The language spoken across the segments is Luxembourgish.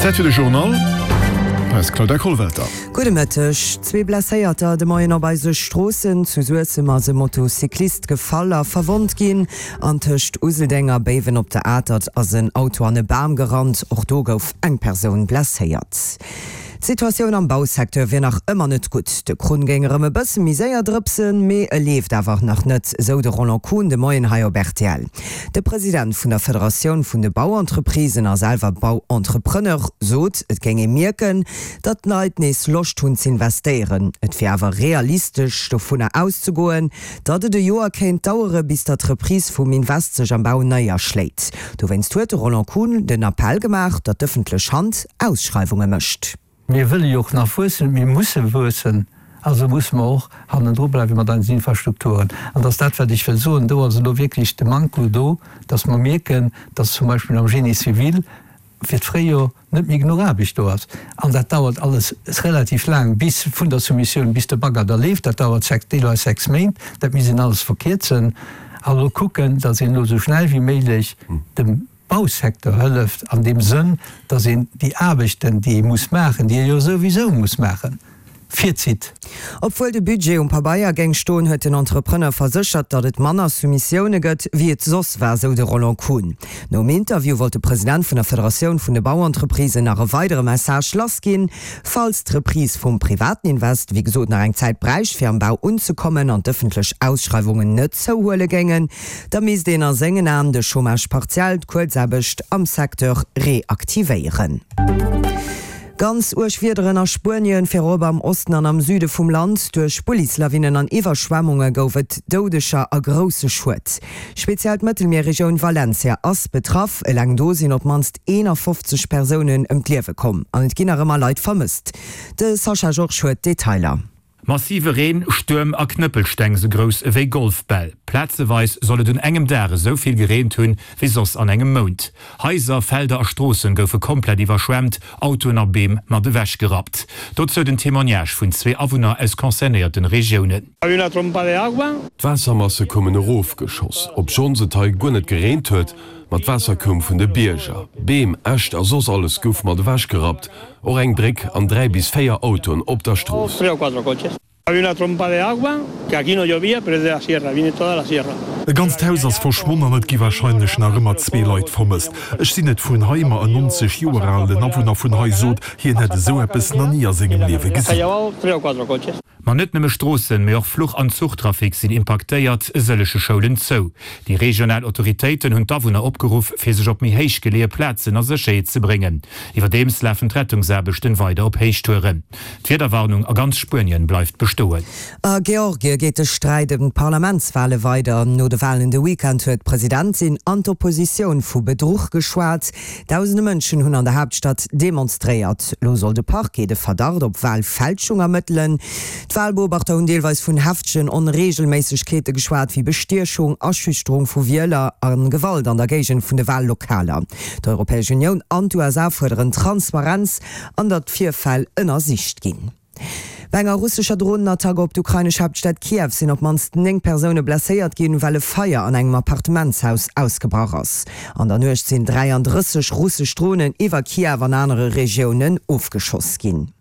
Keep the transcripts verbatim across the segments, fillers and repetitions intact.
Zäit fir de Journal. Hei ass d'Claudia Kollwelter. Gudde Mëtteg. Zwee Blesséierter de Moien op eise Stroossen. Zu Suessem ass e Motocyclist gefall a verwonnt ginn. An tëscht Useldeng a Béiwen op der Atert ass en Auto an e Bam gerannt. Och do gouf eng Persoun blesséiert. D'Situatioun am Bausecteur wier nach ëmmer net gutt. De Krunn géing erëm e bësse méi séier drëpsen, mee e leeft awer nach net, esou de Roland Kuhn de Moien hei op rtl. De President vun der Federatioun vun de Bauentreprisen a selwer Bauentrepreneur sot, et géing ee mierken, datt d'Leit nees Loscht hunn z'investéieren. Et wier awer realistesch dovunner auszegoen, datt et e Joer kéint dauere bis datt d'Reprise vum Invest sech am Bau néierschléit. Dowéinst huet de Roland Kuhn den Appell gemaach, datt d'ëffentlech Hand Ausschreiwunge mécht. Mir wëlle jo och nach wuessen, mir musse wuessen, also musse mer och hannendru bleiwe mat eisen Infrastrukturen. An dat ass dat, wat ech wëll soen, do ass elo wierklech de Manko do, dass mer mierken, dass zum Beispill am Génie civil fir d'Fréijor net méi genuch Aarbecht do ass. An dat dauert alles relativ laang, bis vun der Soumissioun bis de Bagger da leeft, dat dauert sechs, deelweis sechs Méint. Dat misst een alles verkierzen a elo kucken, dass een elo esou schnell wéi méiglech dem Bausecteur hëlleft an deem Sënn, dass een déi Aarbechten, déi ee muss maachen, déi ee jo souwisou muss maachen, virzitt. Obwuel de Budget um Pabeier géing stoen, huet den Entrepreneur verséchert, datt et manner Soumissioune gëtt, wéi et soss war, sou de Roland Kuhn. Nom Interview wollt de President vun der Federatioun vun de Bauentreprisen nach e weidere Message lassginn, Falls d'Reprise vum privaten Invest, wéi gesot, nach eng Zäit bräicht, fir am Bau unzekommen an d'ëffentlech Ausschreiwungen net zouhuele géingen, da misst een a sengen Aen de Chômage partiel, d'Kuerzaarbecht am Secteur reaktivéieren. Ganz uerg Wiederen a Spuenien, virop am Osten an am Süde vum Land. Duerch Bullislawinnen an Iwwerschwemmunge gouf et Doudeger a grousse Schued. Speziell d'Mëttelmierregioun Valencia ass betraff. Eleng do sinn op d'mannst eenafofzeg Persounen ëm d'Liewe komm an et ginn nach ëmmer Leit vermësst. De Sascha Georges huet d'Detailer. Massive Reen, Stuerm a Knëppelsteng sou grouss ewéi Golfbäll. Plazeweis soll et un engem Dag esou vill gereent hunn, wéi soss an engem Mount. Haiser, Felder a Stroossen goufe komplett iwwerschwemmt, Autoen a Beem mat ewech gerappt. Dozou den Témoignage vun zwee Awunner aus concernéierten Regiounen. D'Waassermasse koumen erofgeschoss, obschonns et hei guer net gereent huet, ma d'Waasser koum vun de Bierger. Beem, Äscht a soss alles gouf mat ewech gerappt, och eng Bréck an dräi bis véier Autoen op der Strooss. E ganzt Haus ass verschwonn an et gi warscheinlech nach ëmmer zwee Leit vermësst. Ech sinn net vun hei, ma en nonzeg Joer alen Awunner vun hei sot, hien hätt esou eppes nach ni a sengem Liewe gesinn. Ma net nëmme Stroossen, mee och Fluch an Zuchtrafic sinn impaktéiert, e sëllege Schoulen zou. Déi regional Autoritéiten hunn d'Awunner opgeruff, fir sech op méi héich geleeë Plazen a Sécherheet ze bréngen. Iwwerdeems lafen d'Rettungsaarbechten weider op Héichtouren. D'Wiederwarnung a ganz Spuenien bleift bestoen. A Georgie geet de Sträit ëm d'Parlamentswale weider. No de Walen de Weekend huet d'Presidentin an d'Oppositioun vu Bedruch geschwat. Dausende Mënschen hunn an der Haaptstad demonstréiert. Lo soll de Parquet de Verdacht op Walfälschung ermëttelen. D'Walbeobachter hunn deelweis vun heftegen Onreegelméissegkeete geschwat, wéi Bestiechung, Aschüchterung vu Wieler a Gewalt an der Géigend vun de Wallokaler. D'Europäesch Unioun an d'USA fuerderen Transparenz an datt d'Virfäll ënnersicht ginn. Bei enger russescher Dronenattack op d'ukrainesch Haaptstad Kiew sinn op d'mannst néng Persoune blesséiert ginn, well e Feier an engem Appartementshaus ausgebrach ass. An der Nuecht sinn dräiandrësseg russesch Dronen iwwer Kiew an anere Regiounen ofgeschoss ginn.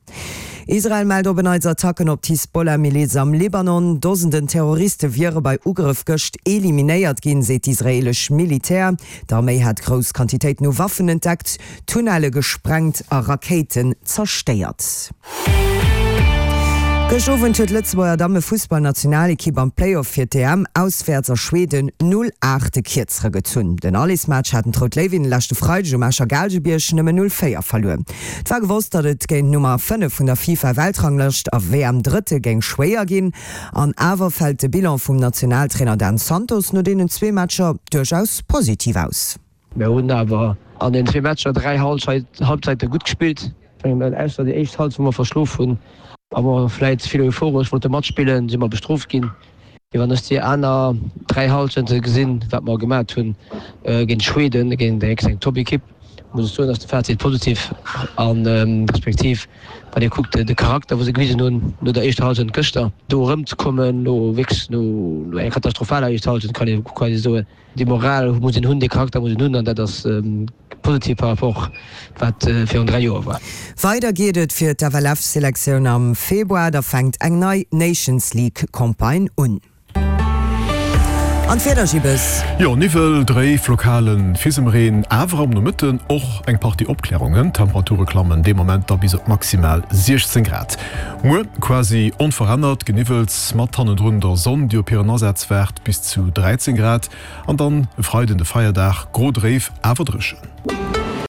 Israel mellt op en Neits Attacken op d'Hisbollah-Miliz am Libanon. Dosenden Terroriste wiere bei Ugrëff gëscht eliminéiert ginn, seet d'israeelesch Militär. D'Arméi hätt grouss Quantitéiten u Waffen entdeckt, Tunnelle gesprengt a Rakéiten zerstéiert. Gëscht Owend huet d'Lëtzebuerger Damme-Fussballnationalekipp am Play-Off fir d'EM auswäerts a Schweden null aacht de Kierzere gezunn. Den Allesmatch haten d'Rout Léiwinnen leschte Freideg um Escher Gaalgebierg nëmmen null véier verluer. Et war gewosst, datt et géint d'Nummer fënnef vun der FIFA-Weltranglëscht a WM-Drëtte géing schwéier ginn. An awer fält de Bilan vum Nationaltrainer Dan Santos no deenen zwee Matcher duerchaus positiv aus. Mir hunn awer an den zwee Matcher dräi Halbzeite gutt gespillt. Ausser déi éischt Halbzeit, wou mer verschlof hunn a mer vläit ze vill euphoresch wollte matspillen, si mer bestrooft ginn. Mee wann ech déi aner dräi Halschente gesinn, wat mer gemat hunn géint Schweden, géint eng Top-Ekipp, muss ech soen, ass de Fazit positiv a respektiv wann ee kuckt de Charakter wou se gewisen hunn no der éischter Hallschent gëschter, do erëmzekommen no wierklech no enger katastrophaler éischter Hallschent kann ee quasi soen. Déi Moral muss een hunn, dee Charakter muss een hunn an dat ass positiv par rapport wat virun dräi Joer war. Weider geet et fir d'FLF-Selektioun am Februar, da fänkt eng nei Nations League-Campagne un. An d'Wieder, Gibbes? Jo, Niwwel, dréif, lokale Fisemreen, awer am Nomëtten och eng Partie Opklärungen. D'Temperature klammen dee Moment da bis op maximal siechzéng Grad. Muer quasi onverännert, Geniwwels mat hannendrun der Sonn, déi op hiren Asaz waart, bis zu dräizéng Grad. An dann e Freiden, de Feierdag, gro, dréif, awer dréchen.